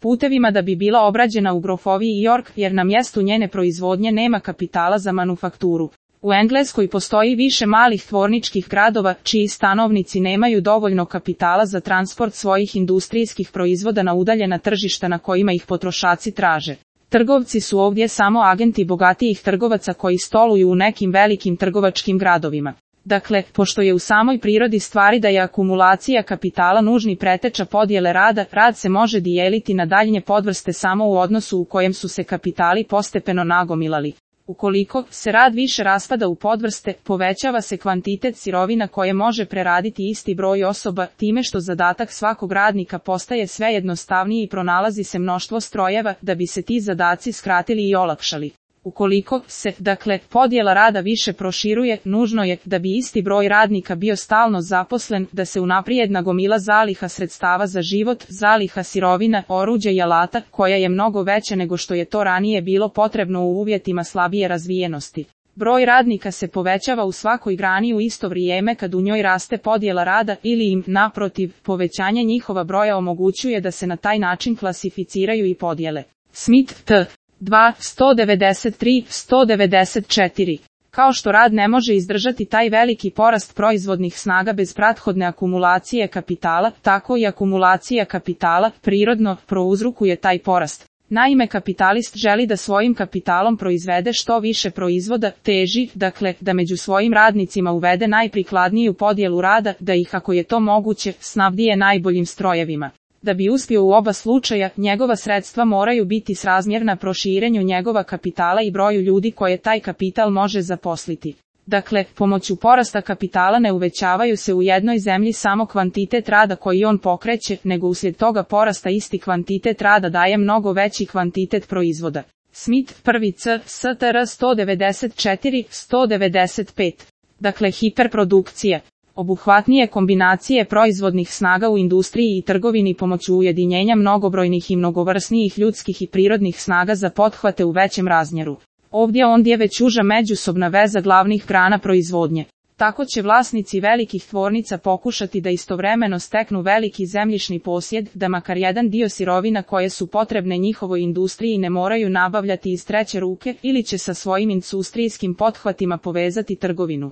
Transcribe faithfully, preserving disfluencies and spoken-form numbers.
putevima da bi bila obrađena u grofoviji York, jer na mjestu njene proizvodnje nema kapitala za manufakturu. U Engleskoj postoji više malih tvorničkih gradova, čiji stanovnici nemaju dovoljno kapitala za transport svojih industrijskih proizvoda na udaljena tržišta na kojima ih potrošači traže. Trgovci su ovdje samo agenti bogatijih trgovaca koji stoluju u nekim velikim trgovačkim gradovima. Dakle, pošto je u samoj prirodi stvari da je akumulacija kapitala nužni preteča podjele rada, rad se može dijeliti na daljnje podvrste samo u odnosu u kojem su se kapitali postepeno nagomilali. Ukoliko se rad više raspada u podvrste, povećava se kvantitet sirovina koje može preraditi isti broj osoba, time što zadatak svakog radnika postaje sve jednostavniji i pronalazi se mnoštvo strojeva da bi se ti zadaci skratili i olakšali. Ukoliko se, dakle, podjela rada više proširuje, nužno je da bi isti broj radnika bio stalno zaposlen, da se unaprijed nagomila zaliha sredstava za život, zaliha sirovina, oruđa i alata, koja je mnogo veća nego što je to ranije bilo potrebno u uvjetima slabije razvijenosti. Broj radnika se povećava u svakoj grani u isto vrijeme kad u njoj raste podjela rada ili im, naprotiv, povećanje njihova broja omogućuje da se na taj način klasificiraju i podjele. Smith T. dva, sto devedeset tri, sto devedeset četiri. Kao što rad ne može izdržati taj veliki porast proizvodnih snaga bez prethodne akumulacije kapitala, tako i akumulacija kapitala prirodno prouzrokuje taj porast. Naime, kapitalist želi da svojim kapitalom proizvede što više proizvoda, teži, dakle, da među svojim radnicima uvede najprikladniju podjelu rada, da ih, ako je to moguće, snabdije najboljim strojevima. Da bi uspio u oba slučaja, njegova sredstva moraju biti srazmjerna proširenju njegova kapitala i broju ljudi koje taj kapital može zaposliti. Dakle, pomoću porasta kapitala ne uvećavaju se u jednoj zemlji samo kvantitet rada koji on pokreće, nego uslijed toga porasta isti kvantitet rada daje mnogo veći kvantitet proizvoda. Smith, prvi C, S T R sto devedeset četiri, sto devedeset pet. Dakle, hiperprodukcija. Obuhvatnije kombinacije proizvodnih snaga u industriji i trgovini pomoću ujedinjenja mnogobrojnih i mnogovrsnijih ljudskih i prirodnih snaga za pothvate u većem razmjeru. Ovdje ondje već uža međusobna veza glavnih grana proizvodnje. Tako će vlasnici velikih tvornica pokušati da istovremeno steknu veliki zemljišni posjed, da makar jedan dio sirovina koje su potrebne njihovoj industriji ne moraju nabavljati iz treće ruke, ili će sa svojim industrijskim pothvatima povezati trgovinu.